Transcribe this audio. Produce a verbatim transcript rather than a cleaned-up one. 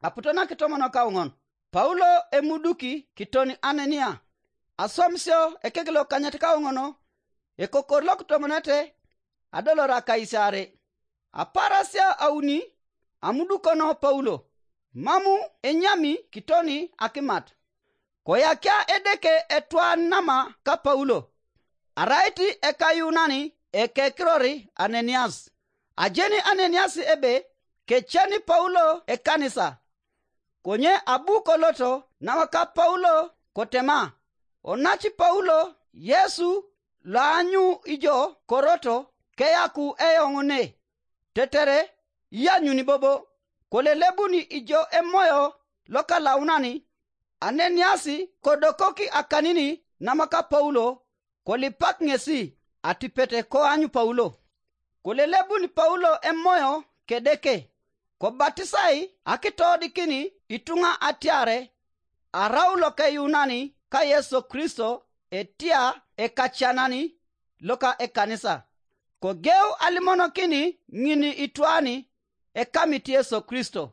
Aputo na kitomonok kauŋon, Paulo emuduki kiton Anania. Aswamisio ekek lokanyet kauŋon, ekokor lokitomonete adolor akaisiare. Aparasia auni amudukono Paulo, mamu enyami kitoni akimat. Koyakia Edeke etwan nama ka Paulo, arait ekayuunani ekekirori Ananias. Ajeni Ananias ebe keceni Paulo ekanisa. Konye abu koloto nawaka Paulo kotema, onaci Paulo Yesu loanyu ijo koroto keyaku eoŋ ne, tetere iyanyuni bobo. Kolelebuni ijo emoyo lokalaunani, Ananias kodokoki akanini namaka Paulo, kolipak ŋesi atipet koanyu Paulo. Kolelebuni Paulo emoyo kedeke, kobatisai akitoodikin ituŋa atiare arau lokeyuunani ka Yesu Kristo etia ekacanani loka ekanisa. Kogeu alimonokin ŋin itwani ekamit Yesu Kristo.